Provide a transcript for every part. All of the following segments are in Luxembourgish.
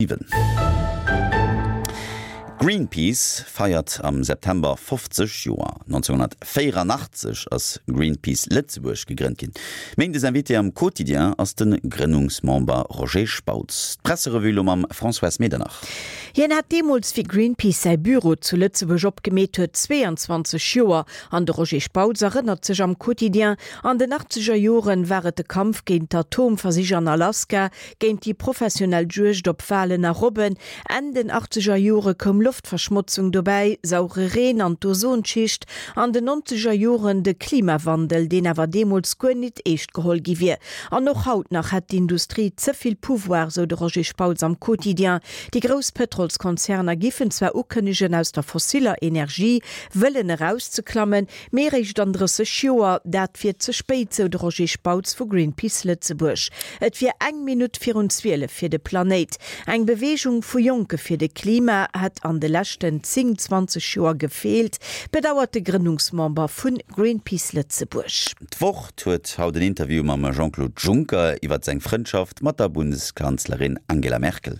7. Greenpeace feiert am September 50 Joer. 1984 ass Greenpeace Lëtzebuerg gegrënnt ginn. Méindes Invité am Quotidien ass de Grënnungsmember Roger Spautz. D'Presserevue lo mam Françoise Medernach. Hien hat deemools, wéi Greenpeace säi Büro zu Lëtzebuerg opgemeet huet, 22 Joer. An de Roger Spautz erënnert sech am Quotidien, An den achtzeger Joren war et de Kampf géint d'Atomversich an Alaska, Géint déi professionell Juegd op Walen a Robben. Enn den achtzeger Jore koum Loftverschmotzung dobäi, saure Reen an d'Ozonschicht. An den nonzeger Joren de Klimawandel, deen awer deemools guer nit eescht geholl gi wier. An och haut nach hätt d'Industrie ze vill Pouvoir, sou de Roger Spautz am Quotidien. Déi grouss Pëtrolskonzerner giffen zwar ukënnegen, aus der fossiller Energie wëllen erauszeklammen, Mee eréischt an 30 Joer, dat wier ze spéit, sou de Roger Spautz vu Greenpeace Lëtzebuerg. Et wier eng Minutt virun 12 fir de Planéit. Eng Beweegung vu Jonke fir de Klima hätt an de leschten 10, 20 Joer gefeelt, bedauert de Grënnungsmember vu Greenpeace Lëtzebuerg. D'Wort huet haut en Interview mam Jean-Claude Juncker iwwert seng Frëndschaft mat der Bundeskanzlerin Angela Merkel.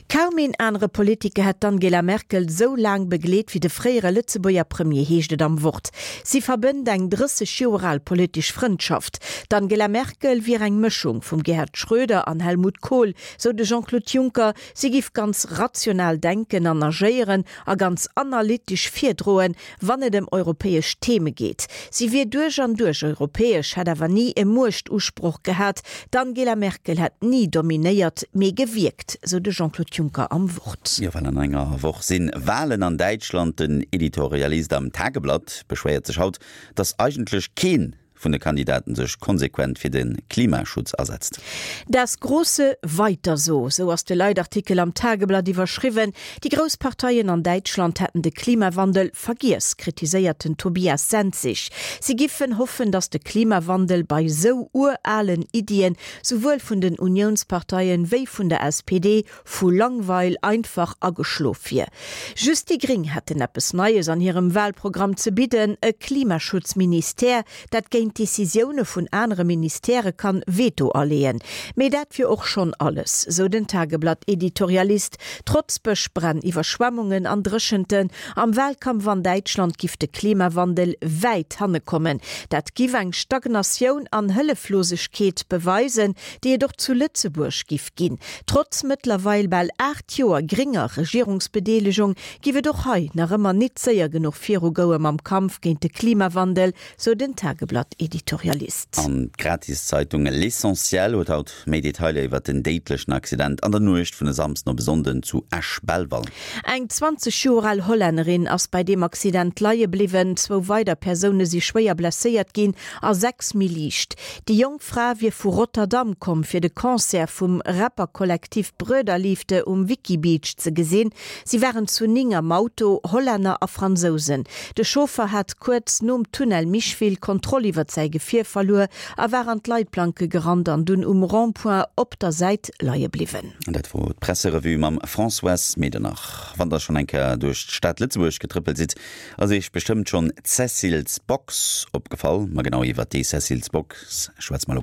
Kaum een anere Politiker hätt d'Angela Merkel sou laang begleet wéi de fréiere Lëtzebuerger Premier, heescht et am Wort. Si verbënnt eng 30 Joer al politesch Frëndschaft. D'Angela Merkel wier eng Mëschung vum Gerhard Schröder an Helmut Kohl, sou de Jean-Claude Juncker. Si giff ganz rational denken an agéieren a ganz analytesch virdroen, wann et ëm europäesch Theme geet. Si wier duerch an duerch europäesch, hätt awer ni e Muechtusproch gehat. D'Angela Merkel hätt ni dominéiert, mee gewierkt, sou de Jean-Claude Juncker am Wort. Jo, well an enger Woch si Walen an Däitschland. Den Editorialist am Tageblatt beschwéiert sech haut, datt eigentlech kee vun de Kandidaten sech konsequent fir de Klimaschutz asetzt. Das große Weiter so, sou ass de Leitartikel am Tageblatt iwwerschriwwen. Déi grouss Parteien an Däitschland hätten de Klimawandel vergiess, kritiséiert den Tobias Senzig. Si giffen hoffen, datt de Klimawandel bei sou uralen Iddien, souwuel vun den Uniounsparteien wéi vun der SPD, vu Langweil einfach ageschlof wier. Just déi Gring hätten eppes Neies an hirem Wahlprogramm ze bidden, e Klimaschutzministère, dat géint Decisioune vun anere Ministèrë kann Veto aleeën. Mee dat wier och schonn alles, sou den Tageblatt-Editorialist. Trotz Bëschbränn, Iwwerschwemmungen an Dréchenten am Wahlkampf an Däitschland giff de Klimawandel wäit hanne kommen. Dat giff eng Stagnatioun an Hëlleflosegkeet beweisen, déi et och zu Lëtzebuerg giff ginn. Trotz mëttlerweil bal 8 Joer grénger Regierungsbedeelegung giff et och hei nach ëmmer nit séier genuch virugoue mam Kampf géint de Klimawandel, sou den Tageblatt-Editorialist. An d'Gratiszeitung L'Essentiel huet haut méi Detailer iwwert den déidlechen Accident an der Nuecht vun e Samsden op e Sonnden zu Esch-Belval. Eng 20 Joer al Hollännerin ass bei deem Accident leie bliwwen, zwou weider Persoune si schwéier blesséiert ginn a 6 méi liicht. Déi jonk Fra wier vu Rotterdam komm, fir de Concert vum Rapper-Kollektiv Bröderliefde um Wickibeach ze gesinn. Si waren zu 9 am Auto, Hollänner a Fransousen. De Chauffer hat kuerz nom Tunnel Micheville d'Kontroll iwwert säi Gefier verluer a war an d'Leitplanke gerannt an dunn um Rond-point op der Säit leie bliwwen. An dat wor d'Presserevue mam Françoise Medernach. Wann der schonn eng Kéier duerch d'Stad Lëtzebuerg getrëppelt sidd, Ass iech bestëmmt schonn d'Cecil's Box opgefall? Ma genau iwwert déi Cecil's Box schwätze mer elo.